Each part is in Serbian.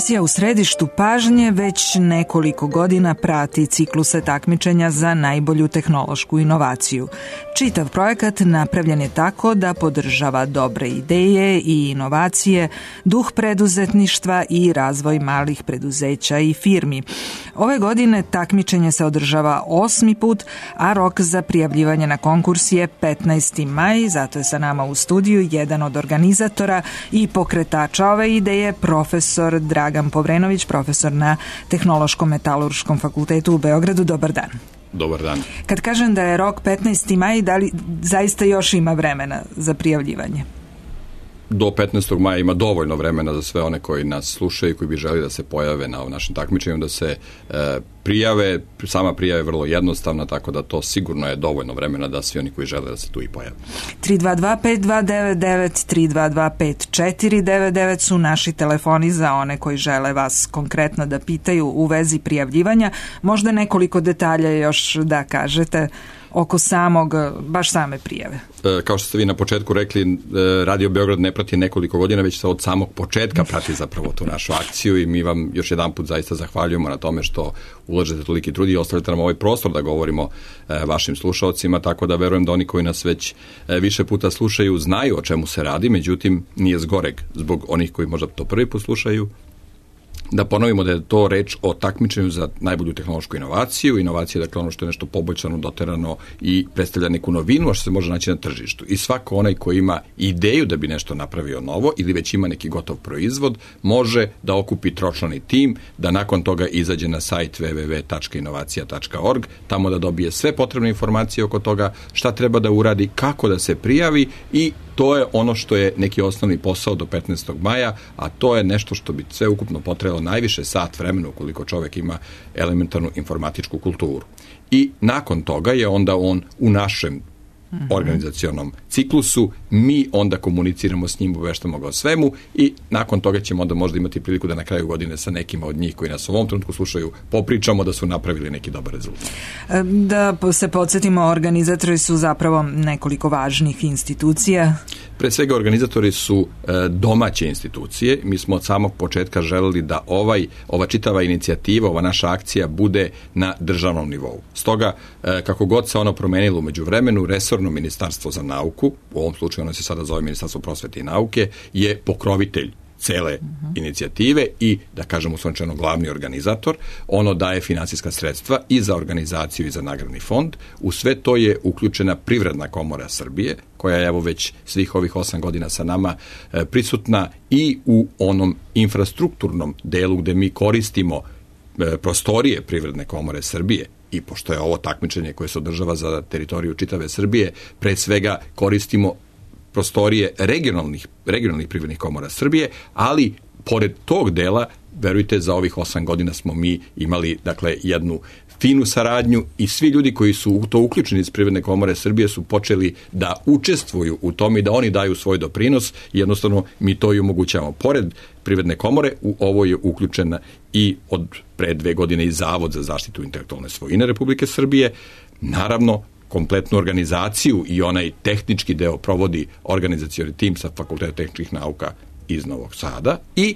Emisija U središtu pažnje već nekoliko godina prati cikluse takmičenja za najbolju tehnološku inovaciju. Čitav projekat napravljen je tako da podržava dobre ideje i inovacije, duh preduzetništva i razvoj malih preduzeća i firmi. Ove godine takmičenje se održava 8. put, a rok za prijavljivanje na konkurs je 15. maj, zato je sa nama u studiju jedan od organizatora i pokretača ove ideje, profesor Dragan Povrenović, profesor na Tehnološko-metalurškom fakultetu u Beogradu. Dobar dan. Dobar dan. Kad kažem da je rok 15. maj, da li zaista još ima vremena za prijavljivanje? Do 15. maja ima dovoljno vremena za sve one koji nas slušaju i koji bi želi da se pojave na našem takmičenju, da se prijave. Sama prijava je vrlo jednostavna, tako da to sigurno je dovoljno vremena da svi oni koji žele da se tu i pojave. 322-5299, 322-5499 su naši telefoni za one koji žele vas konkretno da pitaju u vezi prijavljivanja. Možda nekoliko detalja još da kažete oko baš same prijave. Kao što ste vi na početku rekli, Radio Beograd ne prati nekoliko godina, već se od samog početka prati zapravo tu našu akciju i mi vam još jedan put zaista zahvaljujemo na tome što ulažete toliki trud i ostavite nam ovaj prostor da govorimo vašim slušaocima, tako da verujem da oni koji nas već više puta slušaju znaju o čemu se radi, međutim nije zgoreg zbog onih koji možda to prvi put slušaju, da ponovimo da je to reč o takmičenju za najbolju tehnološku inovaciju. Inovacija je dakle ono što je nešto poboljšano, doterano i predstavlja neku novinu, a što se može naći na tržištu. I svako onaj koji ima ideju da bi nešto napravio novo ili već ima neki gotov proizvod, može da okupi tročlani tim, da nakon toga izađe na sajt www.inovacija.org, tamo da dobije sve potrebne informacije oko toga šta treba da uradi, kako da se prijavi i to je ono što je neki osnovni posao do 15. maja, a to je nešto što bi sve ukupno potrebalo najviše sat vremena ukoliko čovjek ima elementarnu informatičku kulturu. I nakon toga je onda on u našem organizacionom ciklusu, mi onda komuniciramo s njim, obaveštamo ga o svemu i nakon toga ćemo onda možda imati priliku da na kraju godine sa nekima od njih koji nas u ovom trenutku slušaju popričamo da su napravili neki dobar rezultat. Da se podsjetimo, organizatori su zapravo nekoliko važnih institucija. Pre svega organizatori su domaće institucije. Mi smo od samog početka želeli da ova čitava inicijativa, ova naša akcija bude na državnom nivou. Stoga, kako god se ono promenilo u međuvremenu, resorno ministarstvo za nauku, u ovom slučaju ono se sada zove Ministarstvo prosvete i nauke, je pokrovitelj cele inicijative i, da kažemo uslovno glavni organizator. Ono daje finansijska sredstva i za organizaciju i za nagradni fond. U sve to je uključena Privredna komora Srbije, koja je evo već svih ovih 8 godina sa nama prisutna i u onom infrastrukturnom delu gde mi koristimo prostorije Privredne komore Srbije. I pošto je ovo takmičenje koje se održava za teritoriju čitave Srbije, pre svega koristimo prostorije regionalnih privrednih komora Srbije, ali pored tog dela, verujte, za ovih 8 godina smo mi imali dakle jednu finu saradnju i svi ljudi koji su u to uključeni iz Privredne komore Srbije su počeli da učestvuju u tome i da oni daju svoj doprinos i jednostavno mi to i omogućavamo. Pored Privredne komore u ovo je uključena i od pre 2 godine i Zavod za zaštitu intelektualne svojine Republike Srbije. Naravno, kompletnu organizaciju i onaj tehnički deo provodi organizacioni tim sa Fakulteta tehničkih nauka iz Novog Sada i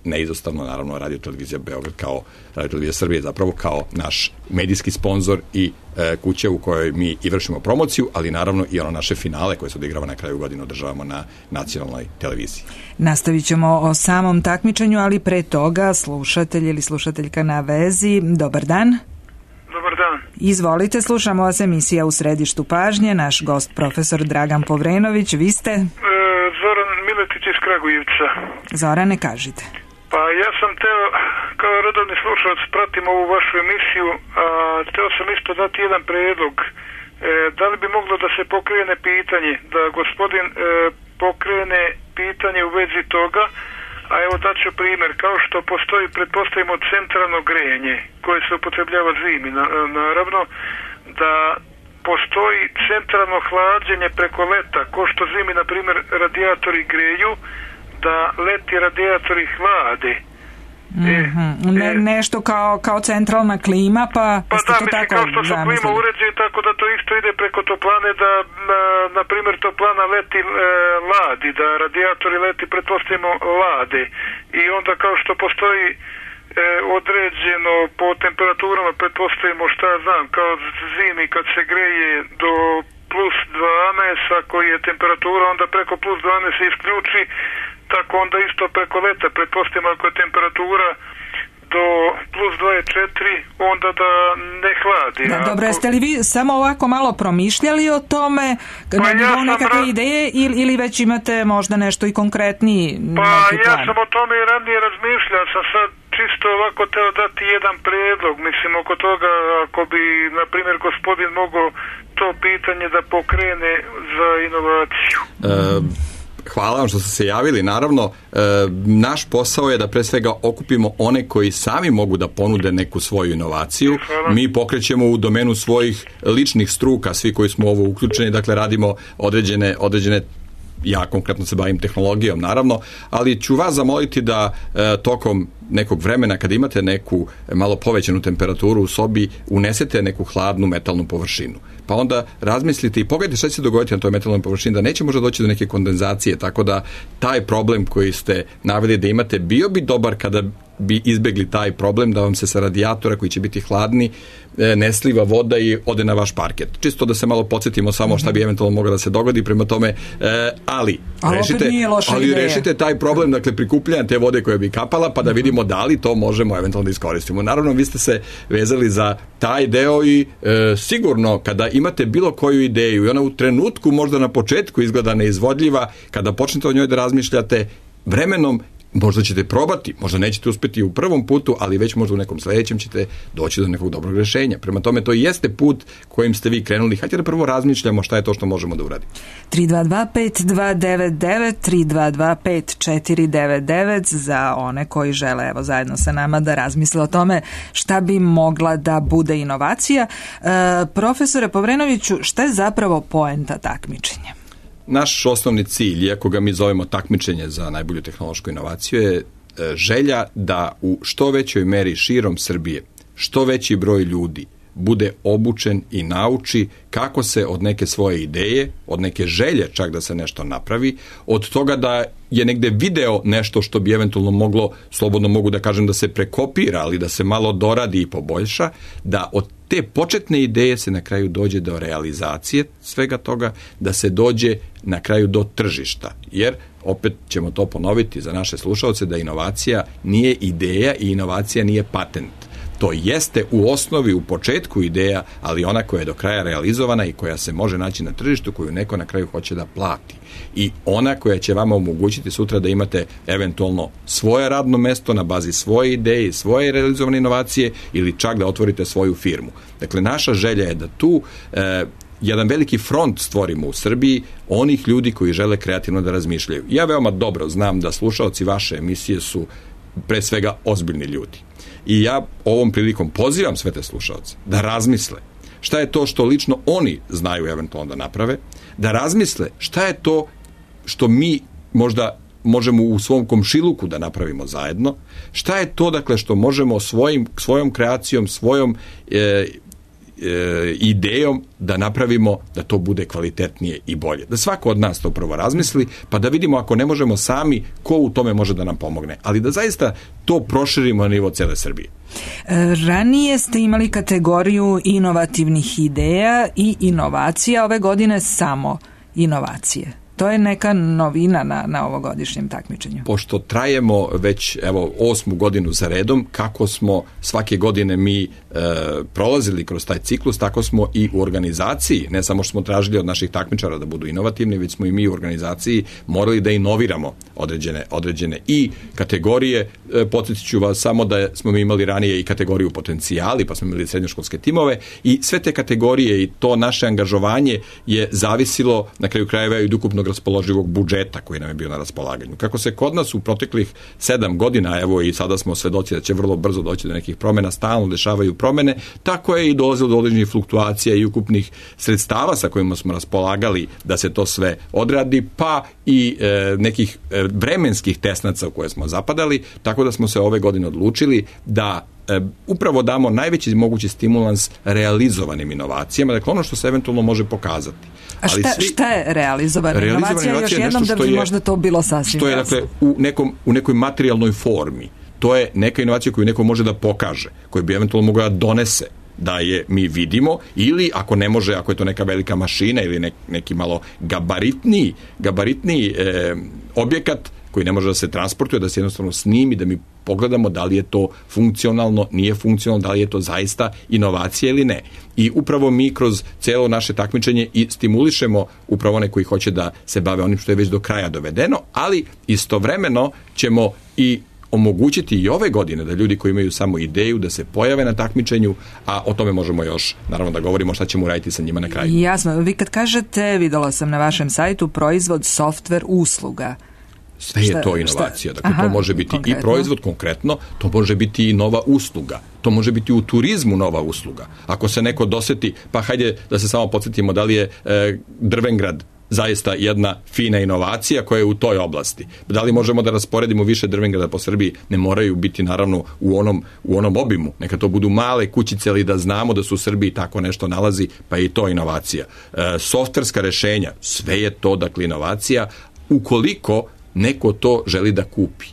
neizostavno naravno Radio-televizija Beograd kao Radio-televizija Srbije zapravo kao naš medijski sponzor i kuća u kojoj mi i vršimo promociju, ali naravno i ono naše finale koje se odigrava na kraju godine održavamo na nacionalnoj televiziji. Nastavit ćemo o samom takmičenju, ali pre toga slušatelj ili slušateljka na vezi. Dobar dan. Dobar dan. Izvolite, slušamo vas, emisija U središtu pažnje. Naš gost profesor Dragan Povrenović. Vi ste? Zoran Miletić iz Kragujevca. Zorane, kažite. Pa ja sam teo, kao redovni slušalac, pratim ovu vašu emisiju, a teo sam isto dati jedan predlog. Da li bi moglo da se pokrene pitanje, da gospodin pokrene pitanje u vezi toga, a evo daću primjer, kao što postoji, pretpostavimo, centralno grejanje koje se upotrebljava zimi, naravno da postoji centralno hlađenje preko leta, ko što zimi, na primjer, radijatori greju, da leti radijatori hlade. Nešto kao centralna klima, pa ste to tako kao što su zamislili. klima uređeni, tako da to isto ide preko toplane, da na primjer toplana leti ladi, da radijatori leti, pretpostavimo, lade. I onda kao što postoji određeno po temperaturama, pretpostavimo, šta ja znam, kao zimi kad se greje do plus 12, ako je temperatura, onda preko plus 12 se isključi, tako onda isto preko leta, pretpostavimo, ako je temperatura do plus 24, onda da ne hladi. Da, dobro, jeste li vi samo ovako malo promišljali o tome, na nivou nekakve ideje, ili već imate možda nešto i konkretniji neki plan? Ja sam o tome i ranije razmišljao, sam sad čisto ovako teo dati jedan prijedlog, mislim, oko toga, ako bi, na primjer, gospodin mogao to pitanje da pokrene za inovaciju. Hvala vam što ste se javili. Naravno, naš posao je da pre svega okupimo one koji sami mogu da ponude neku svoju inovaciju. Hvala. Mi pokrećemo u domenu svojih ličnih struka, svi koji smo ovo uključeni, dakle radimo određene ja konkretno se bavim tehnologijom, naravno, ali ću vas zamoliti da tokom nekog vremena, kada imate neku malo povećanu temperaturu u sobi, unesete neku hladnu metalnu površinu. Pa onda razmislite i pogledajte šta će se dogoditi na toj metalnoj površini, da neće možda doći do neke kondenzacije, tako da taj problem koji ste naveli da imate, bio bi dobar kada bi izbegli taj problem, da vam se sa radijatora koji će biti hladni ne sliva voda i ode na vaš parket. Čisto da se malo podsjetimo samo šta bi eventualno moglo da se dogodi, prema tome, ali rešite taj problem, dakle prikupljanja te vode koja bi kapala, pa da vidimo da li to možemo eventualno da iskoristimo. Naravno, vi ste se vezali za taj deo i sigurno kada imate bilo koju ideju i ona u trenutku možda na početku izgleda neizvodljiva, kada počnete o njoj da razmišljate, vremenom možda ćete probati, možda nećete uspjeti u prvom putu, ali već možda u nekom sljedećem ćete doći do nekog dobrog rješenja. Prema tome, to jeste put kojim ste vi krenuli. Hajde da prvo razmišljamo šta je to što možemo da uradimo. 322-5299, 322-5499 za one koji žele evo zajedno sa nama da razmisle o tome šta bi mogla da bude inovacija. Profesore Povrenoviću, šta je zapravo poenta takmičenja? Naš osnovni cilj, iako ga mi zovemo takmičenje za najbolju tehnološku inovaciju, je želja da u što većoj meri širom Srbije što veći broj ljudi bude obučen i nauči kako se od neke svoje ideje, od neke želje čak da se nešto napravi, od toga da je negde video nešto što bi eventualno moglo, slobodno mogu da kažem da se prekopira, ali da se malo doradi i poboljša, da od te početne ideje se na kraju dođe do realizacije svega toga, da se dođe na kraju do tržišta. Jer, opet ćemo to ponoviti za naše slušalce, da inovacija nije ideja i inovacija nije patent. To jeste u osnovi, u početku ideja, ali ona koja je do kraja realizovana i koja se može naći na tržištu, koju neko na kraju hoće da plati. I ona koja će vama omogućiti sutra da imate eventualno svoje radno mesto na bazi svoje ideje i svoje realizovane inovacije ili čak da otvorite svoju firmu. Dakle, naša želja je da tu jedan veliki front stvorimo u Srbiji onih ljudi koji žele kreativno da razmišljaju. Ja veoma dobro znam da slušaoci vaše emisije su pre svega ozbiljni ljudi. I ja ovom prilikom pozivam sve te slušaoce da razmisle šta je to što lično oni znaju eventualno da naprave, da razmisle šta je to što mi možda možemo u svom komšiluku da napravimo zajedno, šta je to dakle što možemo svojom kreacijom, svojom idejom da napravimo da to bude kvalitetnije i bolje. Da svako od nas to prvo razmisli, pa da vidimo ako ne možemo sami, ko u tome može da nam pomogne. Ali da zaista to proširimo na nivo cele Srbije. Ranije ste imali kategoriju inovativnih ideja i inovacija, ove godine samo inovacije. To je neka novina na ovogodišnjem takmičenju. Pošto trajemo već 8. godinu za redom, kako smo svake godine mi prolazili kroz taj ciklus, tako smo i u organizaciji, ne samo što smo tražili od naših takmičara da budu inovativni, već smo i mi u organizaciji morali da inoviramo određene i kategorije. Podsjetit ću vas samo da smo mi imali ranije i kategoriju potencijali, pa smo imali srednjoškolske timove i sve te kategorije i to naše angažovanje je zavisilo na kraju krajeva i od ukupnog raspoloživog budžeta koji nam je bio na raspolaganju. Kako se kod nas u proteklih 7 godina, evo i sada smo svedoci da će vrlo brzo doći do nekih promjena, stalno dešavaju promjene, tako je i dolazilo do određenih fluktuacija i ukupnih sredstava sa kojima smo raspolagali da se to sve odradi, pa i nekih vremenskih tesnaca u koje smo zapadali, tako da smo se ove godine odlučili da upravo damo najveći mogući stimulans realizovanim inovacijama, dakle ono što se eventualno može pokazati. A šta je realizovana inovacija? Još jednom da bi možda to bilo sasvim što je, dakle, u nekoj materijalnoj formi. To je neka inovacija koju neko može da pokaže, koju bi eventualno mogla da donese, da je mi vidimo, ili ako ne može, ako je to neka velika mašina ili neki malo gabaritniji objekat koji ne može da se transportuje, da se jednostavno snimi, da mi pogledamo da li je to funkcionalno, nije funkcionalno, da li je to zaista inovacija ili ne. I upravo mi kroz cijelo naše takmičenje i stimulišemo upravo one koji hoće da se bave onim što je već do kraja dovedeno, ali istovremeno ćemo i omogućiti i ove godine da ljudi koji imaju samo ideju da se pojave na takmičenju, a o tome možemo još naravno da govorimo šta ćemo uraditi sa njima na kraju. Jasno, vi kad kažete, videla sam na vašem sajtu, proizvod, softver, usluga. Sve je to inovacija. Dakle, to može biti konkretno i proizvod konkretno, to može biti i nova usluga. To može biti u turizmu nova usluga. Ako se neko doseti, pa hajde da se samo podsjetimo da li je Drvengrad zaista jedna fina inovacija koja je u toj oblasti. Da li možemo da rasporedimo više Drvengrada po Srbiji? Ne moraju biti naravno u onom obimu. Neka to budu male kućice, ali da znamo da su u Srbiji tako nešto nalazi, pa je i to inovacija. Softverska rešenja, sve je to dakle inovacija, ukoliko neko to želi da kupi.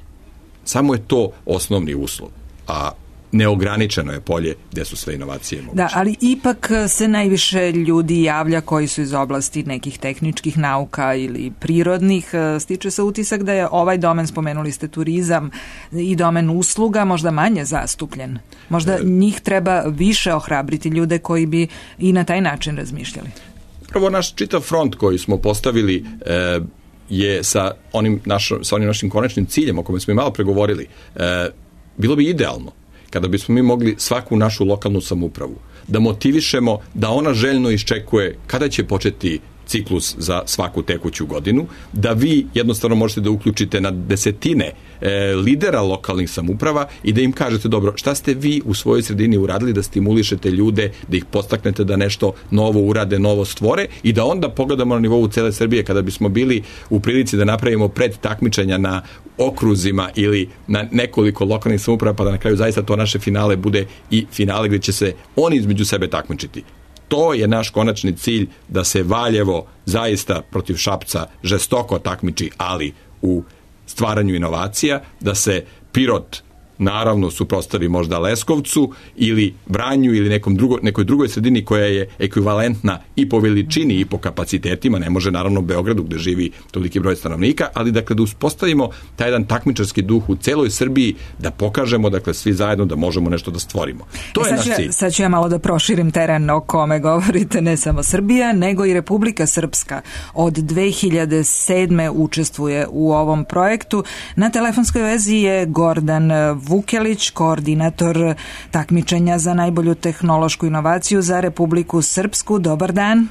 Samo je to osnovni uslov. A neograničeno je polje gdje su sve inovacije moguće. Da, ali ipak se najviše ljudi javlja koji su iz oblasti nekih tehničkih nauka ili prirodnih. Stiče se utisak da je ovaj domen, spomenuli ste turizam, i domen usluga možda manje zastupljen. Možda njih treba više ohrabriti, ljude koji bi i na taj način razmišljali. Prvo, naš čitav front koji smo postavili je sa onim našim konačnim ciljem o kome smo i malo pregovorili. Bilo bi idealno kada bismo mi mogli svaku našu lokalnu samoupravu da motivišemo da ona željno iščekuje kada će početi ciklus za svaku tekuću godinu, da vi jednostavno možete da uključite na desetine lidera lokalnih samouprava i da im kažete, dobro, šta ste vi u svojoj sredini uradili da stimulišete ljude, da ih podstaknete da nešto novo urade, novo stvore, i da onda pogledamo na nivou cele Srbije kada bismo bili u prilici da napravimo pred takmičenja na okruzima ili na nekoliko lokalnih samouprava, pa da na kraju zaista to naše finale bude i finale gdje će se oni između sebe takmičiti. To je naš konačni cilj, da se Valjevo zaista protiv Šapca žestoko takmiči, ali u stvaranju inovacija, da se Pirot naravno suprotstavi možda Leskovcu ili Vranju ili nekoj drugoj sredini koja je ekvivalentna i po veličini i po kapacitetima, ne može naravno Beogradu gdje živi toliki broj stanovnika, ali dakle da uspostavimo taj jedan takmičarski duh u celoj Srbiji, da pokažemo dakle svi zajedno da možemo nešto da stvorimo. To je naš cilj. Sad ću ja malo da proširim teren o kome govorite, ne samo Srbija, nego i Republika Srpska od 2007. učestvuje u ovom projektu. Na telefonskoj vezi je Gordan Vukelić, koordinator takmičenja za najbolju tehnološku inovaciju za Republiku Srpsku. Dobar dan.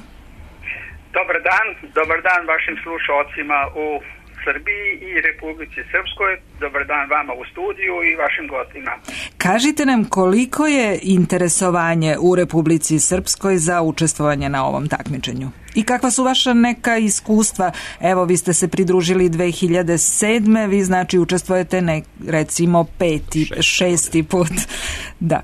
Dobar dan vašim slušalcima u Srbiji i Republici Srpskoj. Dobar dan vama u studiju i vašim gostima. Kažite nam koliko je interesovanje u Republici Srpskoj za učestvovanje na ovom takmičenju? I kakva su vaša neka iskustva? Evo, vi ste se pridružili 2007. Vi znači učestvujete recimo 5., 6. put. Da.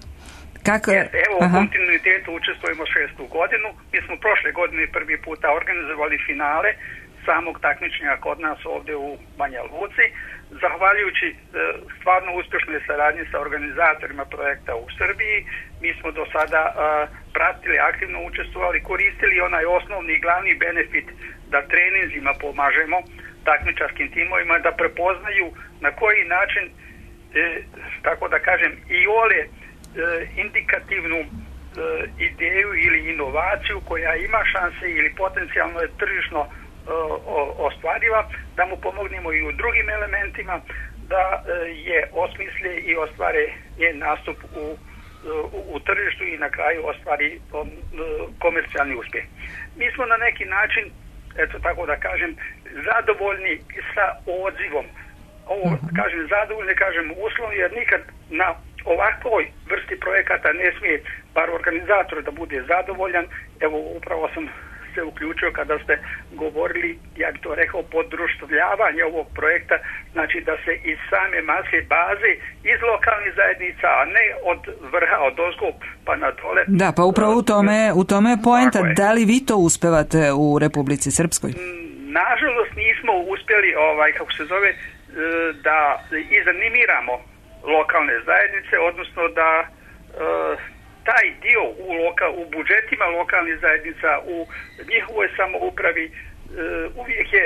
Kako? Evo, u kontinuitetu učestvujemo 6. godinu. Mi smo prošle godine prvi puta organizovali finale samog takmičenja kod nas ovdje u Banja Luci. Zahvaljujući stvarno uspješnoj saradnji sa organizatorima projekta u Srbiji, mi smo do sada pratili, aktivno učestvovali, koristili onaj osnovni i glavni benefit da treninzima pomažemo takmičarskim timovima da prepoznaju na koji način, tako da kažem, i ole indikativnu ideju ili inovaciju koja ima šanse ili potencijalno je tržišno ostvariva, da mu pomognemo i u drugim elementima da je osmisle i ostvare njen nastup u tržištu i na kraju ostvari komercijalni uspjeh. Mi smo na neki način eto tako da kažem, zadovoljni sa odzivom. Ovo kažem zadovoljni, kažem uslovno, jer nikad na ovakvoj vrsti projekata ne smije bar organizator da bude zadovoljan. Evo upravo sam se uključio kada ste govorili, ja bih to rekao, podruštvljavanje ovog projekta, znači da se iz same maske baze iz lokalnih zajednica, a ne od vrha, od ozgo pa na dole. Da, pa upravo u tome je poenta. Da li vi to uspevate u Republici Srpskoj? Nažalost nismo uspjeli, kako se zove, da izanimiramo lokalne zajednice, odnosno da taj dio u budžetima lokalnih zajednica, u njihovoj samoupravi, uvijek je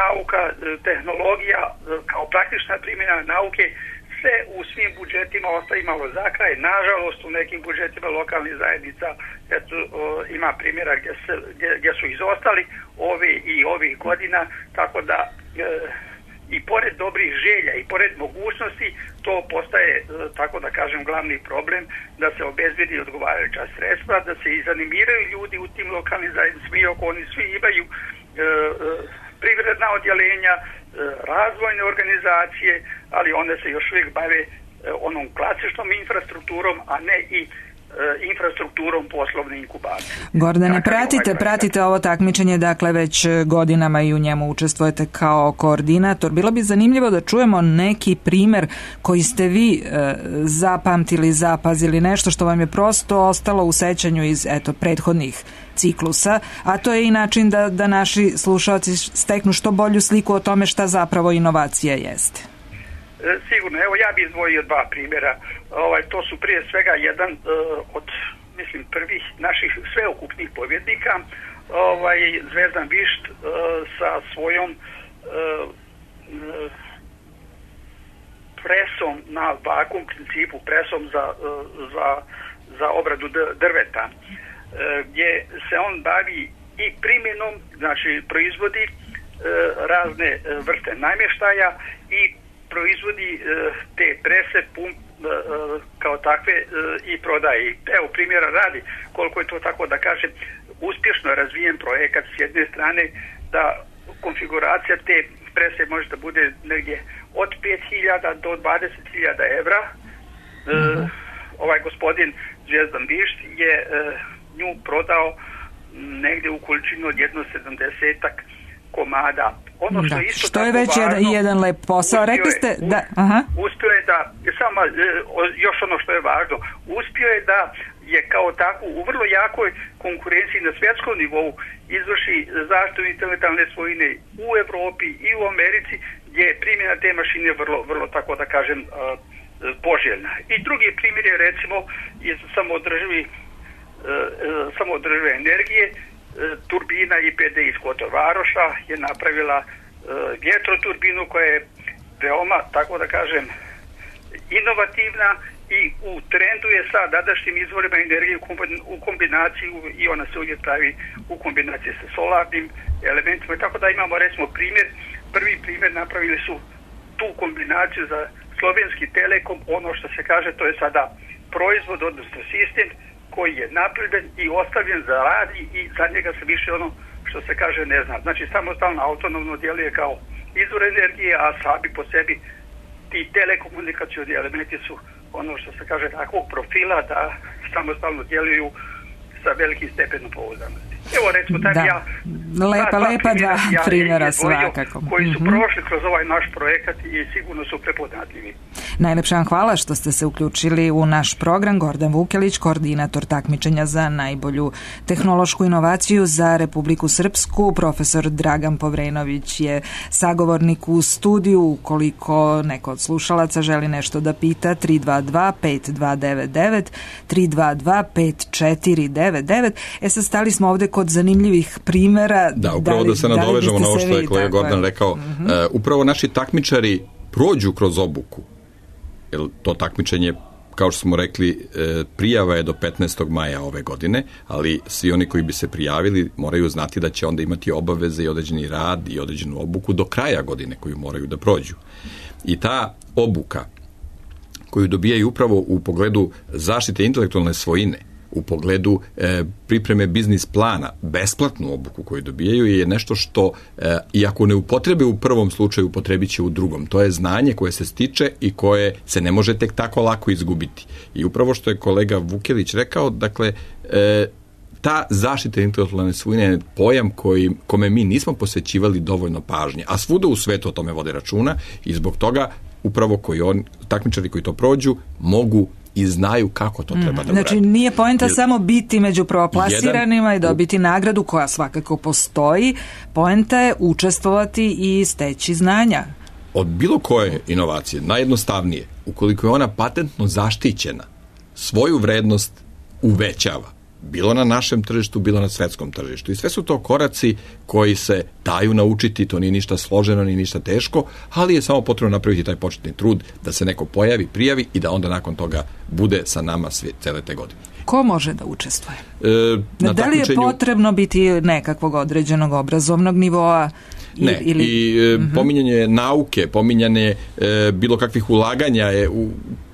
nauka, tehnologija kao praktična primjena nauke se u svim budžetima ostaje malo za kraj. Nažalost, u nekim budžetima lokalnih zajednica ima primjera gdje su izostali ovih godina, tako da i pored dobrih želja i pored mogućnosti to postaje, tako da kažem, glavni problem, da se obezbedi odgovarajuća sredstva, da se izanimiraju ljudi u tim lokalnim zajednicama, iako oni svi imaju privredna odjeljenja, razvojne organizacije, ali one se još uvijek bave onom klasičnom infrastrukturom, a ne i infrastrukturom poslovne inkubacije. Gordane, pratite ovo takmičenje, dakle već godinama i u njemu učestvujete kao koordinator. Bilo bi zanimljivo da čujemo neki primjer koji ste vi zapamtili, zapazili, nešto što vam je prosto ostalo u sećanju iz prethodnih ciklusa, a to je i način da naši slušalci steknu što bolju sliku o tome šta zapravo inovacija jeste. Sigurno, evo ja bih izdvojio dva primjera. To su prije svega jedan od, mislim, prvih naših sveukupnih pobjednika, Zvezdan Višt sa svojom presom na vakuum principu, presom za obradu drveta, gdje se on bavi i primjenom, znači proizvodi razne vrste namještaja i proizvodi te prese kao takve i prodaje. Evo primjera radi koliko je to, tako da kažem, uspješno razvijen projekat s jedne strane, da konfiguracija te prese može da bude negdje od 5.000 do 20.000 evra. Ovaj gospodin Zvezdan Višt je nju prodao negdje u količinu od 170 komada. Ono što, što je već jedan lep posao. Rekli ste da uspio je da, samo još ono što je važno, uspio je da je kao tako u vrlo jakoj konkurenciji na svjetskom nivou izvrši zaštitu intelektualne svojine u Europi i u Americi, gdje je primjena te mašine vrlo tako da kažem poželjna. I drugi primjer je recimo iz samoodržive energije. Turbina IPD iz Kotor-Varoša je napravila vjetroturbinu koja je veoma, tako da kažem, inovativna i u trendu je sa današnjim izvorima energije u kombinaciji, i ona se uvijek pravi u kombinaciji sa solarnim elementima. Tako da imamo recimo prvi primjer napravili su tu kombinaciju za Slovenski Telekom. Ono što se kaže, to je sada proizvod, odnosno sistem koji je napravljen i ostavljen za rad i za njega se više ono što se kaže ne zna. Znači samostalno autonomno djeluje kao izvor energije, a sami po sebi ti telekomunikacioni elementi su ono što se kaže takvog profila da samostalno djeluju sa velikim stepenom pouzdanosti. Evo recimo lepa dva primjera svakako. Koji su prošli kroz ovaj naš projekat i sigurno su prepoznatljivi. Najlepša vam hvala što ste se uključili u naš program. Gordan Vukelić, koordinator takmičenja za najbolju tehnološku inovaciju za Republiku Srpsku. Profesor Dragan Povrenović je sagovornik u studiju. Ukoliko neko od slušalaca želi nešto da pita, 322-5299, 322-5499. Sad stali smo ovdje kod zanimljivih primjera. Da, upravo da se nadovežemo na ovo što je kolega Gordan rekao. Upravo naši takmičari prođu kroz obuku. Jer to takmičenje, kao što smo rekli, prijava je do 15. maja ove godine, ali svi oni koji bi se prijavili moraju znati da će onda imati obaveze i određeni rad i određenu obuku do kraja godine koju moraju da prođu. I ta obuka koju dobijaju upravo u pogledu zaštite intelektualne svojine, u pogledu pripreme biznis plana, besplatnu obuku koju dobijaju je nešto što, iako ne upotrebe u prvom slučaju, upotrebit će u drugom. To je znanje koje se stiče i koje se ne može tek tako lako izgubiti. I upravo što je kolega Vukelić rekao, dakle, ta zaštita intelektualne svojine je pojam kome mi nismo posvećivali dovoljno pažnje, a svuda u svetu o tome vode računa i zbog toga upravo takmičari koji to prođu mogu i znaju kako to treba da uradi. Znači nije poenta samo biti među prvoplasiranim i dobiti nagradu koja svakako postoji, poenta je učestvovati i steći znanja. Od bilo koje inovacije, najjednostavnije, ukoliko je ona patentno zaštićena, svoju vrednost uvećava. Bilo na našem tržištu, bilo na svetskom tržištu. I sve su to koraci koji se daju naučiti, to nije ništa složeno, nije ništa teško, ali je samo potrebno napraviti taj početni trud da se neko pojavi, prijavi i da onda nakon toga bude sa nama cele te godine. Ko može da učestvuje? Da li je potrebno biti nekakvog određenog obrazovnog nivoa? Ne, pominjanje nauke, pominjanje bilo kakvih ulaganja je u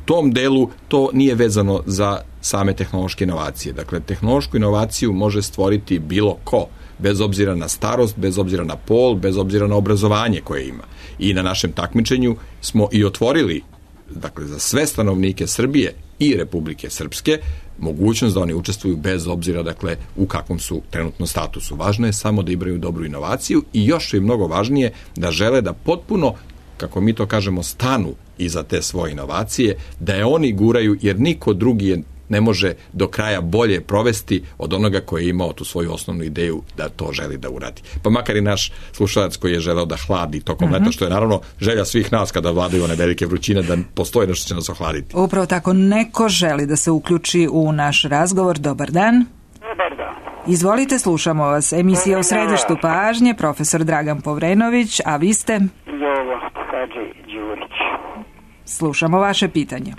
tom delu, to nije vezano za same tehnološke inovacije. Dakle, tehnološku inovaciju može stvoriti bilo ko, bez obzira na starost, bez obzira na pol, bez obzira na obrazovanje koje ima. I na našem takmičenju smo i otvorili, dakle, za sve stanovnike Srbije i Republike Srpske, mogućnost da oni učestvuju bez obzira, dakle, u kakvom su trenutno statusu. Važno je samo da imaju dobru inovaciju i još je mnogo važnije da žele da potpuno, kako mi to kažemo, stanu iza te svoje inovacije, da je oni guraju, jer niko drugi je ne može do kraja bolje provesti od onoga koji je imao tu svoju osnovnu ideju da to želi da uradi. Pa makar i naš slušalac koji je želeo da hladi tokom leta, što je naravno želja svih nas kada vladaju one velike vrućine, da postoji nešto će nas ohladiti. Upravo tako, neko želi da se uključi u naš razgovor. Dobar dan. Dobar dan. Izvolite, slušamo vas. Emisija u središtu pažnje, profesor Dragan Povrenović, a vi ste? Jovo Hadži Đurić. Slušamo vaše pitanje.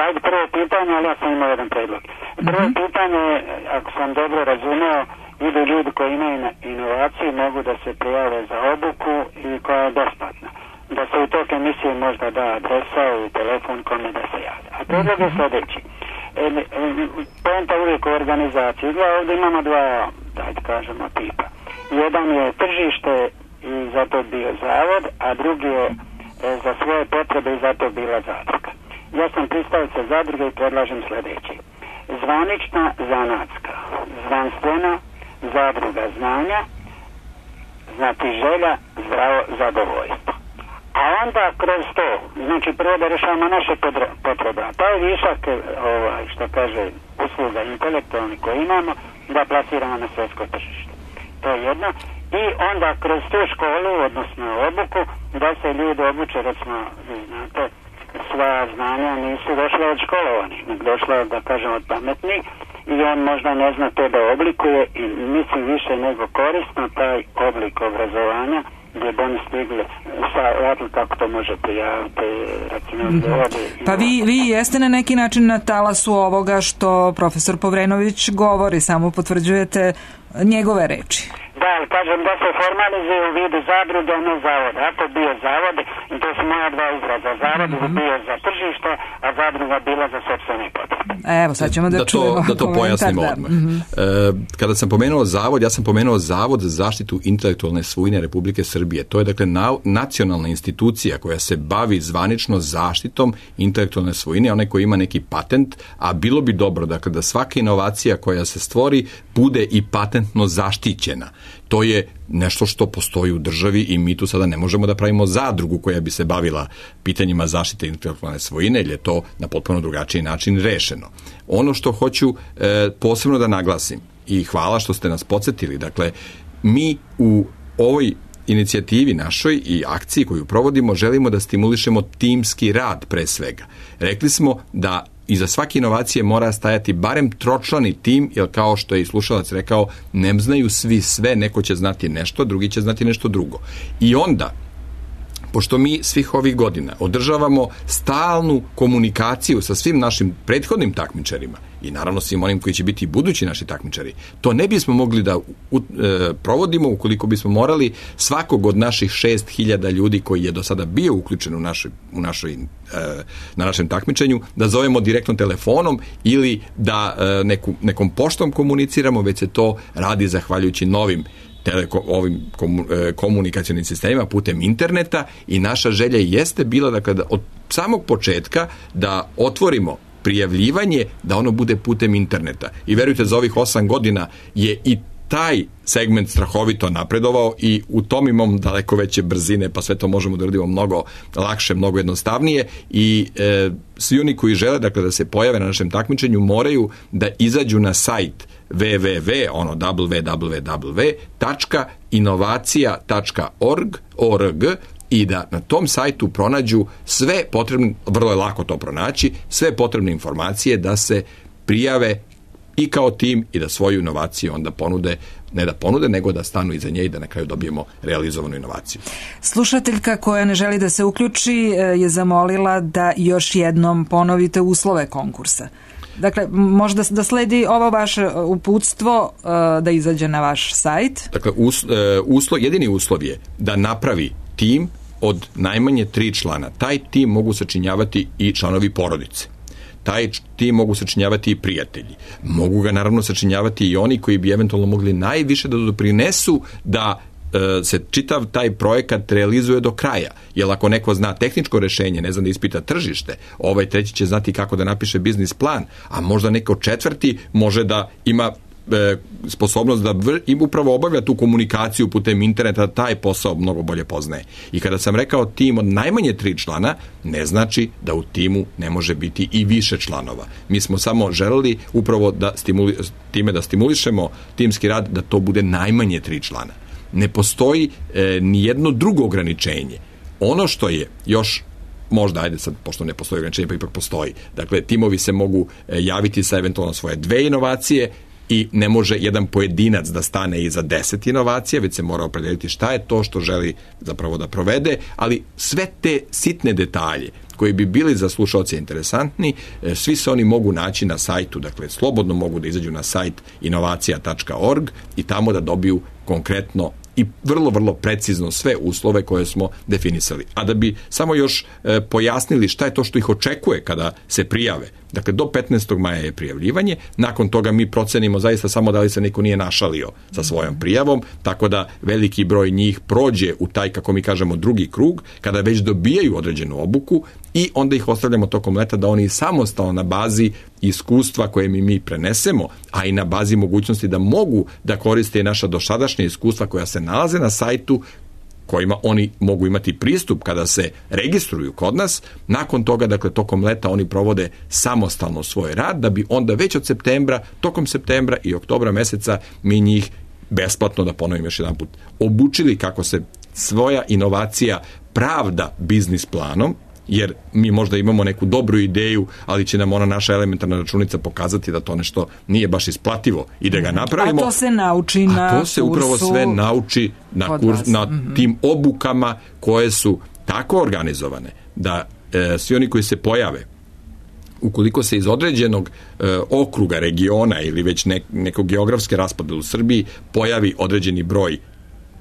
Ajde prvo pitanje, ali ja sam imao jedan predlog. Prvo pitanje, ako sam dobro razumeo, idu ljudi koji imaju inovaciju, mogu da se prijave za obuku i koja je besplatna. Da se u tok emisije možda da adresa i telefon kome da se javi. A predlog je sljedeći. Poenta uvijek u organizaciji. Ovdje imamo dva, da kažemo, tipa. Jedan je tržište i zato bio zavod, a drugi je za svoje potrebe i zato bila zadruga. Ja sam pristalica zadruge i predlažem sljedeće. Zvanična zanatska, znanstvena zadruga znanja, znači želja, zdravo zadovoljstvo. A onda kroz to, znači prvo da rešavamo naše potrebe, a taj višak, što kaže, usluga intelektualni koji imamo, da plasiramo na svjetsko tržište. To je jedno. I onda kroz tu školu, odnosno obuku, da se ljudi obuče, recimo, znate, sva znanja nisu došla od školovanih, nego došla, da kažem, od pametnih i on možda ne zna to da oblikuje i mislim više nego korisno taj oblik obrazovanja gdje bi oni stigli kako to može prijaviti, recimo, Pa vi jeste na neki način na talasu ovoga što profesor Povrenović govori, samo potvrđujete njegove reči. Da, kažem da se formalizuje u vidu zadruge, a ne zavode. Ako bio zavod, i to su moja dva izraza, zavod bi bio za tržište, a zadruga bila za sopstvene potrebe. Evo, sad ćemo da čujemo. Da to pojasnimo odmah. Kada sam pomenuo zavod, ja sam pomenuo Zavod za zaštitu intelektualne svojine Republike Srbije. To je, dakle, nacionalna institucija koja se bavi zvanično zaštitom intelektualne svojine, onaj koji ima neki patent, a bilo bi dobro, dakle, da svaka inovacija koja se stvori bude i patentno zaštićena. To je nešto što postoji u državi i mi tu sada ne možemo da pravimo zadrugu koja bi se bavila pitanjima zaštite intelektualne svojine, jer je to na potpuno drugačiji način rešeno. Ono što hoću posebno da naglasim, i hvala što ste nas podsjetili, dakle, mi u ovoj inicijativi našoj i akciji koju provodimo želimo da stimulišemo timski rad pre svega. Rekli smo da iza svake inovacije mora stajati barem tročlani tim, jer kao što je i slušalac rekao, ne znaju svi sve, neko će znati nešto, drugi će znati nešto drugo. I onda, pošto mi svih ovih godina održavamo stalnu komunikaciju sa svim našim prethodnim takmičarima i naravno svim onim koji će biti budući naši takmičari. To ne bismo mogli da provodimo ukoliko bismo morali svakog od naših 6.000 ljudi koji je do sada bio uključen na našem takmičenju da zovemo direktno telefonom ili da nekom poštom komuniciramo, već se to radi zahvaljujući novim ovim komunikacionim sistemima putem interneta i naša želja jeste bila dakle, da od samog početka da otvorimo prijavljivanje, da ono bude putem interneta. I verujte, za ovih 8 godina je i taj segment strahovito napredovao i u tom imamo daleko veće brzine, pa sve to možemo da radimo mnogo lakše, mnogo jednostavnije i svi oni koji žele dakle, da se pojave na našem takmičenju moraju da izađu na sajt www.inovacija.org i da na tom sajtu pronađu sve potrebne, vrlo je lako to pronaći, sve potrebne informacije da se prijave i kao tim i da svoju inovaciju onda ponude, ne da ponude, nego da stanu iza nje i da na kraju dobijemo realizovanu inovaciju. Slušateljka koja ne želi da se uključi je zamolila da još jednom ponovite uslove konkursa. Dakle, možda da sledi ovo vaše uputstvo da izađe na vaš sajt? Dakle, jedini uslov je da napravi tim od najmanje 3 člana. Taj tim mogu sačinjavati i članovi porodice. Taj tim mogu sačinjavati i prijatelji. Mogu ga naravno sačinjavati i oni koji bi eventualno mogli najviše da doprinesu da se čitav taj projekat realizuje do kraja. Jer ako neko zna tehničko rešenje, ne zna da ispita tržište, ovaj treći će znati kako da napiše biznis plan, a možda neko četvrti može da ima sposobnost da upravo obavlja tu komunikaciju putem interneta, da taj posao mnogo bolje poznaje. I kada sam rekao tim od najmanje 3 člana, ne znači da u timu ne može biti i više članova. Mi smo samo želeli upravo da stimulišemo timski rad da to bude najmanje 3 člana. Ne postoji ni jedno drugo ograničenje. Ono što je još možda, ajde sad, pošto ne postoji ograničenje, pa ipak postoji. Dakle, timovi se mogu javiti sa eventualno svoje 2 inovacije i ne može jedan pojedinac da stane iza 10 inovacija, već se mora opredeliti šta je to što želi zapravo da provede, ali sve te sitne detalje koji bi bili za slušaoce interesantni, svi se oni mogu naći na sajtu, dakle slobodno mogu da izađu na sajt inovacija.org i tamo da dobiju konkretno i vrlo, vrlo precizno sve uslove koje smo definisali. A da bi samo još pojasnili šta je to što ih očekuje kada se prijave. Dakle, do 15. maja je prijavljivanje, nakon toga mi procenimo zaista samo da li se neko nije našalio sa svojom prijavom, tako da veliki broj njih prođe u taj, kako mi kažemo, drugi krug, kada već dobijaju određenu obuku i onda ih ostavljamo tokom leta da oni samostalno na bazi iskustva koje mi prenesemo, a i na bazi mogućnosti da mogu da koriste naša dosadašnja iskustva koja se nalaze na sajtu, kojima oni mogu imati pristup kada se registruju kod nas. Nakon toga, dakle, tokom leta oni provode samostalno svoj rad, da bi onda već od septembra, tokom septembra i oktobra meseca mi njih besplatno, da ponovim još jedan put, obučili kako se svoja inovacija pravda biznis planom, jer mi možda imamo neku dobru ideju, ali će nam ona naša elementarna računica pokazati da to nešto nije baš isplativo i da ga napravimo. A to se nauči na kursu. A to se upravo sve nauči na tim obukama koje su tako organizovane da svi oni koji se pojave, ukoliko se iz određenog okruga, regiona ili već nekog geografske raspodele u Srbiji pojavi određeni broj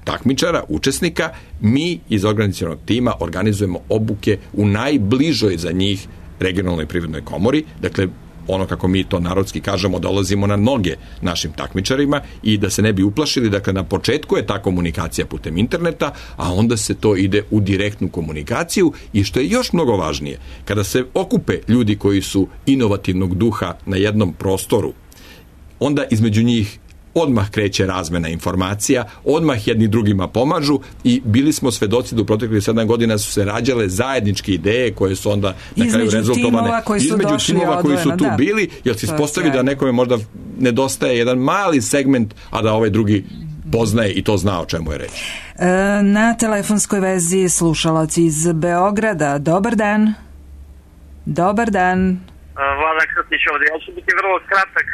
takmičara, učesnika, mi iz organizacionog tima organizujemo obuke u najbližoj za njih regionalnoj privrednoj komori. Dakle, ono kako mi to narodski kažemo, dolazimo na noge našim takmičarima i da se ne bi uplašili, dakle na početku je ta komunikacija putem interneta, a onda se to ide u direktnu komunikaciju i što je još mnogo važnije, kada se okupe ljudi koji su inovativnog duha na jednom prostoru, onda između njih odmah kreće razmena informacija, odmah jedni drugima pomažu i bili smo svedoci da u proteklih 7 godina su se rađale zajedničke ideje koje su onda na kraju rezultovane između timova koji su tu bili, jer se ispostavi da nekome možda nedostaje jedan mali segment, a da ovaj drugi poznaje i to zna o čemu je reč. Na telefonskoj vezi slušalac iz Beograda. Dobar dan. Dobar dan. Vladan Krstić ovdje. Ja ću biti vrlo kratak.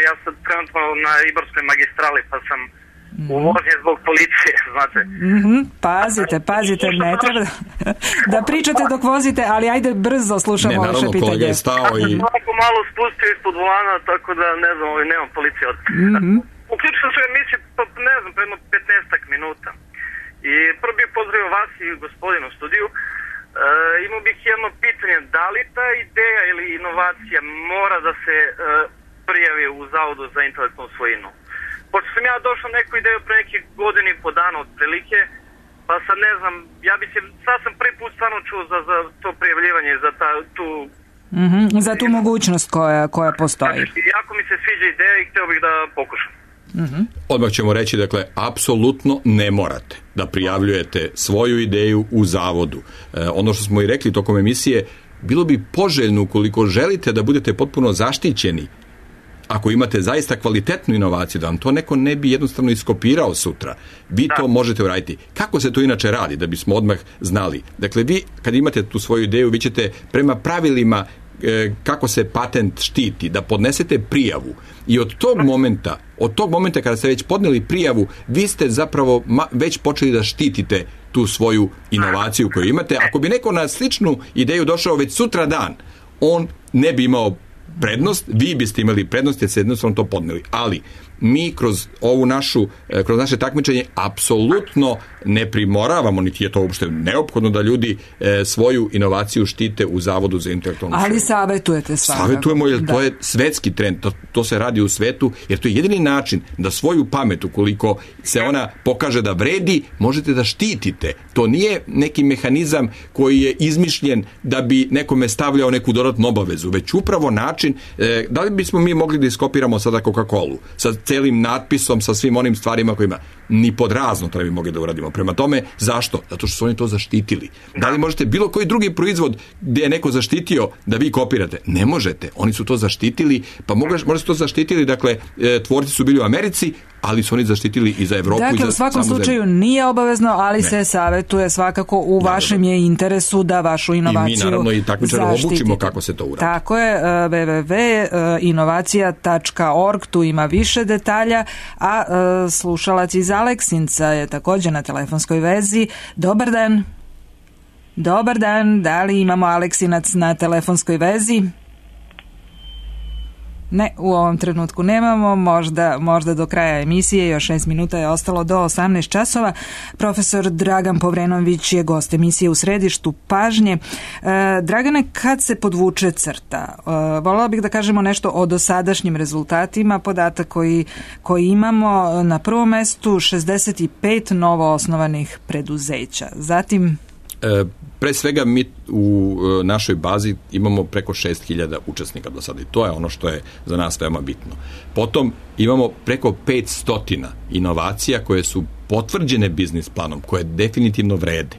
Ja sam trenutno na Ibarskoj magistrali pa sam u vožnji zbog policije, znate. Pazite, ne treba da pričate dok vozite, ali ajde brzo slušamo vaše pitanje. Naravno, kolega je stao i... Tako malo spustio ispod volana, tako da ne znam, nemam policije od... Uključio sam se u emisiju, ne znam, predno 15-ak minuta. I prvo bih pozdravio vas i gospodinu u studiju. Imao bih jedno pitanje, da li ta ideja ili inovacija mora da se prijavi u Zavodu za intelektualnu svojinu? Pošto sam ja došao neku ideju pre nekih godina i po dana otprilike, pa sad ne znam, sad sam prvi put stvarno čuo za to prijavljivanje, za za tu mogućnost koja postoji. Znači, jako mi se sviđa ideja i htio bih da pokušam. Odmah ćemo reći, dakle, apsolutno ne morate da prijavljujete svoju ideju u zavodu. Ono što smo i rekli tokom emisije, bilo bi poželjno ukoliko želite da budete potpuno zaštićeni, ako imate zaista kvalitetnu inovaciju, da vam to neko ne bi jednostavno iskopirao sutra. Vi to možete uraditi. Kako se to inače radi, da bismo odmah znali? Dakle, vi kad imate tu svoju ideju, vi ćete prema pravilima kako se patent štiti, da podnesete prijavu i od tog momenta kada ste već podneli prijavu, vi ste zapravo već počeli da štitite tu svoju inovaciju koju imate. Ako bi neko na sličnu ideju došao već sutra dan, on ne bi imao prednost, vi biste imali prednost jer ste jednostavno to podneli. Ali mi kroz naše takmičenje apsolutno ne primoravamo, niti je to uopšte neophodno da ljudi svoju inovaciju štite u Zavodu za intelektualnu svojinu. Ali savjetujete svakako. Savjetujemo jer to je svetski trend, to se radi u svetu, jer to je jedini način da svoju pamet, ukoliko se ona pokaže da vredi, možete da štitite. To nije neki mehanizam koji je izmišljen da bi nekome stavljao neku dodatnu obavezu, već upravo način, da li bismo mi mogli da iskopiramo sada Coca-Colu sa celim natpisom, sa svim onim stvarima kojima ni pod razno to ne bi mogli da uradimo. Prema tome, zašto? Zato što su oni to zaštitili. Da li možete bilo koji drugi proizvod gdje je neko zaštitio da vi kopirate? Ne možete. Oni su to zaštitili, pa možda su to zaštitili, dakle, tvorci su bili u Americi, ali su oni zaštitili i za Evropu. Dakle, u svakom slučaju nije obavezno, ali se savjetuje svakako u vašem je interesu da vašu inovaciju zaštitite. I mi naravno i takmičare obučimo kako se to uradi. Tako je, www.inovacija.org, tu ima više detalja, a slušalac iz Aleksinca je također na telefonskoj vezi. Dobar dan. Dobar dan, da li imamo Aleksinac na telefonskoj vezi? Ne, u ovom trenutku nemamo, možda do kraja emisije, još 6 minuta je ostalo do 18 časova. Profesor Dragan Povrenović je gost emisije U središtu pažnje. Dragane, kad se podvuče crta? Voljela bih da kažemo nešto o dosadašnjim rezultatima, podatak koji imamo na prvom mestu 65 novo osnovanih preduzeća. Zatim... Pre svega mi u našoj bazi imamo preko 6.000 učesnika do sada i to je ono što je za nas veoma bitno. Potom imamo preko 500 inovacija koje su potvrđene biznis planom, koje definitivno vrede.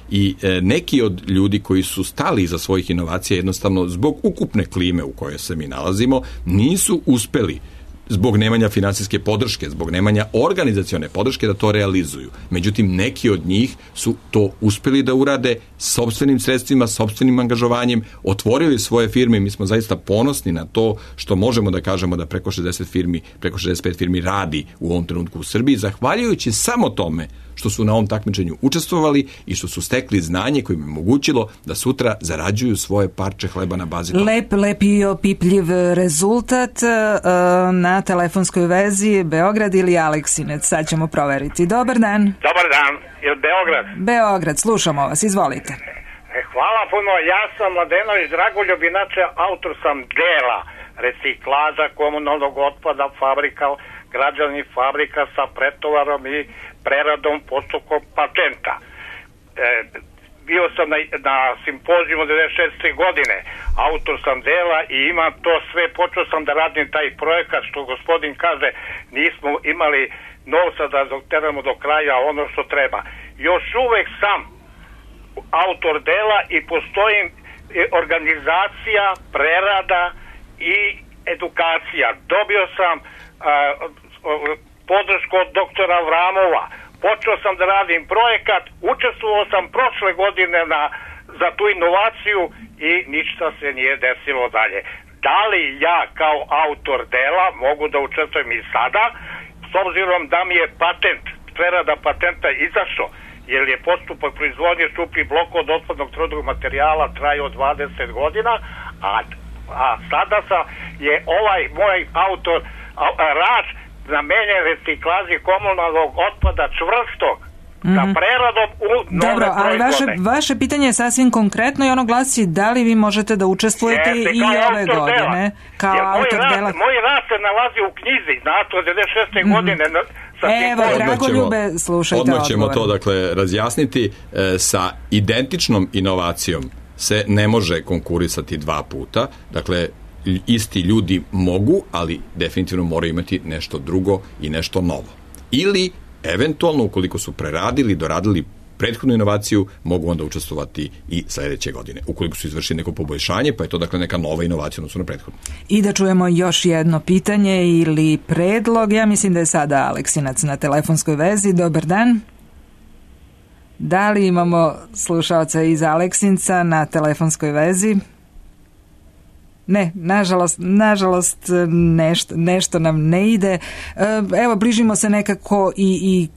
I neki od ljudi koji su stali iza svojih inovacija jednostavno zbog ukupne klime u kojoj se mi nalazimo nisu uspeli zbog nemanja finansijske podrške, zbog nemanja organizacione podrške da to realizuju. Međutim, neki od njih su to uspeli da urade sopstvenim sredstvima, sopstvenim angažovanjem, otvorili svoje firme i mi smo zaista ponosni na to što možemo da kažemo da preko 65 firmi radi u ovom trenutku u Srbiji, zahvaljujući samo tome što su na ovom takmičenju učestvovali i što su stekli znanje koje im je omogućilo da sutra zarađuju svoje parče hleba na bazi toga. Lep i opipljiv rezultat. Na telefonskoj vezi Beograd ili Aleksinac, sad ćemo proveriti. Dobar dan. Dobar dan, je Beograd? Beograd, slušamo vas, izvolite. Hvala puno, ja sam Mladenović Dragoljub, inače autor sam dela reciklaža komunalnog otpada, fabrika, građevnih fabrika sa pretovarom i preradom postupkom patenta. Bio sam na simpozijumu 96. godine, autor sam dela i imam to sve, počeo sam da radim taj projekat, što gospodin kaže, nismo imali novca da doteramo do kraja ono što treba. Još uvek sam autor dela i postoji organizacija, prerada i edukacija. Dobio sam podršku od doktora Vramova. Počeo sam da radim projekat, učestvovao sam prošle godine za tu inovaciju i ništa se nije desilo dalje. Da li ja kao autor dela mogu da učestvujem i sada? s obzirom da mi je patent, prerada patenta izašao, jer je postupak proizvodnje šupljih blokova od otpadnog tvrdog materijala trajao 20 godina, a sada je ovaj moj autor rad namenjen reciklaži komunalnog otpada čvrstog sa preradom u nove Dobro, ali vaše pitanje je sasvim konkretno i ono glasi da li vi možete da učestvujete i ove godine kao autor dela. Moj rad se nalazi u knjizi, znate, od 96. godine. Evo, Dragoljube, slušajte odgovor. Odmah ćemo to, dakle, razjasniti. Sa identičnom inovacijom se ne može konkurisati dva puta. Dakle, isti ljudi mogu, ali definitivno moraju imati nešto drugo i nešto novo. Ili, eventualno, ukoliko su preradili, doradili prethodnu inovaciju, mogu onda učestvovati i sledeće godine. Ukoliko su izvršili neko poboljšanje, pa je to dakle neka nova inovacija odnosno na prethodnu. I da čujemo još jedno pitanje ili predlog. Ja mislim da je sada Aleksinac na telefonskoj vezi. Dobar dan. Da li imamo slušaoca iz Aleksinca na telefonskoj vezi? Ne, nažalost nešto nam ne ide. Evo, bližimo se nekako i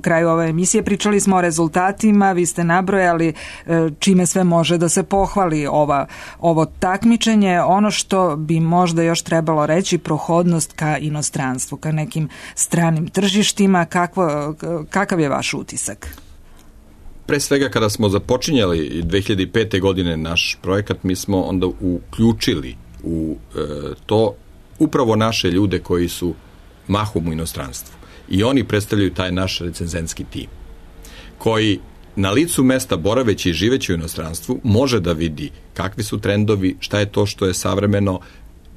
kraju ove emisije. Pričali smo o rezultatima, vi ste nabrojali čime sve može da se pohvali ovo takmičenje. Ono što bi možda još trebalo reći, prohodnost ka inostranstvu, ka nekim stranim tržištima. Kakav je vaš utisak? Pre svega, kada smo započinjali 2005. godine naš projekat, mi smo onda uključili u to upravo naše ljude koji su mahom u inostranstvu. I oni predstavljaju taj naš recenzentski tim, koji na licu mesta, boraveći i živeći u inostranstvu, može da vidi kakvi su trendovi, šta je to što je savremeno,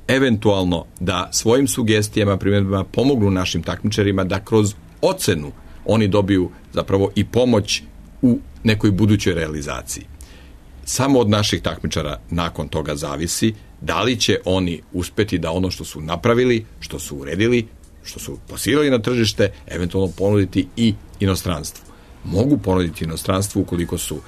eventualno da svojim sugestijama, primjedbama pomognu našim takmičarima da kroz ocenu oni dobiju zapravo i pomoć u nekoj budućoj realizaciji. Samo od naših takmičara nakon toga zavisi da li će oni uspeti da ono što su napravili, što su uredili, što su plasirali na tržište, eventualno ponuditi i inostranstvu. Mogu ponuditi inostranstvu ukoliko su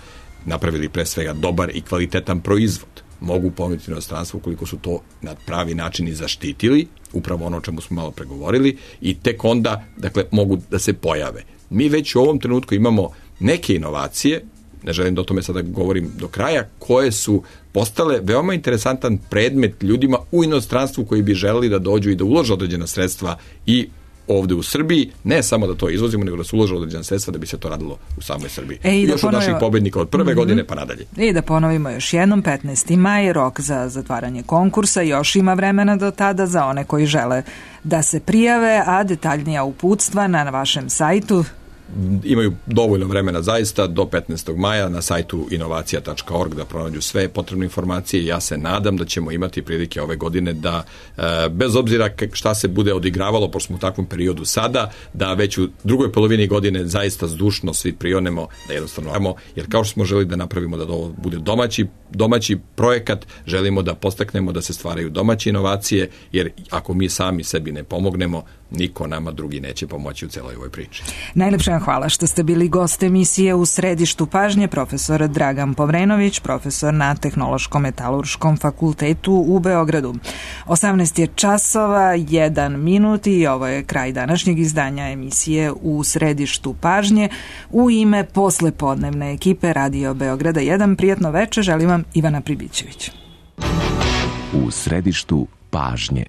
napravili pre svega dobar i kvalitetan proizvod. Mogu ponuditi inostranstvu ukoliko su to na pravi način i zaštitili, upravo ono o čemu smo malo pregovorili, i tek onda, dakle, mogu da se pojave. Mi već u ovom trenutku imamo neke inovacije, ne želim da o tome sada govorim do kraja, koje su postale veoma interesantan predmet ljudima u inostranstvu koji bi želeli da dođu i da ulože određena sredstva i ovde u Srbiji, ne samo da to izvozimo, nego da se ulože određena sredstva da bi se to radilo u samoj Srbiji. Još od naših pobednika od prve godine pa nadalje. I da ponovimo još jednom, 15. maj, rok za zatvaranje konkursa, još ima vremena do tada za one koji žele da se prijave, a detaljnija uputstva na vašem sajtu. Imaju dovoljno vremena zaista do 15. maja na sajtu inovacija.org da pronađu sve potrebne informacije. Ja se nadam da ćemo imati prilike ove godine da, bez obzira šta se bude odigravalo, pošto smo u takvom periodu sada, da već u drugoj polovini godine zaista zdušno svi prionemo da jednostavno, jer kao što smo želi da napravimo da ovo bude domaći projekat, želimo da postaknemo da se stvaraju domaće inovacije, jer ako mi sami sebi ne pomognemo, niko nama drugi neće pomoći u celoj ovoj priči. Najlepše vam hvala što ste bili gost emisije U središtu pažnje, profesor Dragan Povrenović, profesor na Tehnološko-metalurškom fakultetu u Beogradu. 18 je časova, 1 minut i ovo je kraj današnjeg izdanja emisije U središtu pažnje. U ime poslepodnevne ekipe Radio Beograda 1, prijatno večer, želim vam Ivana Pribićević. U središtu pažnje.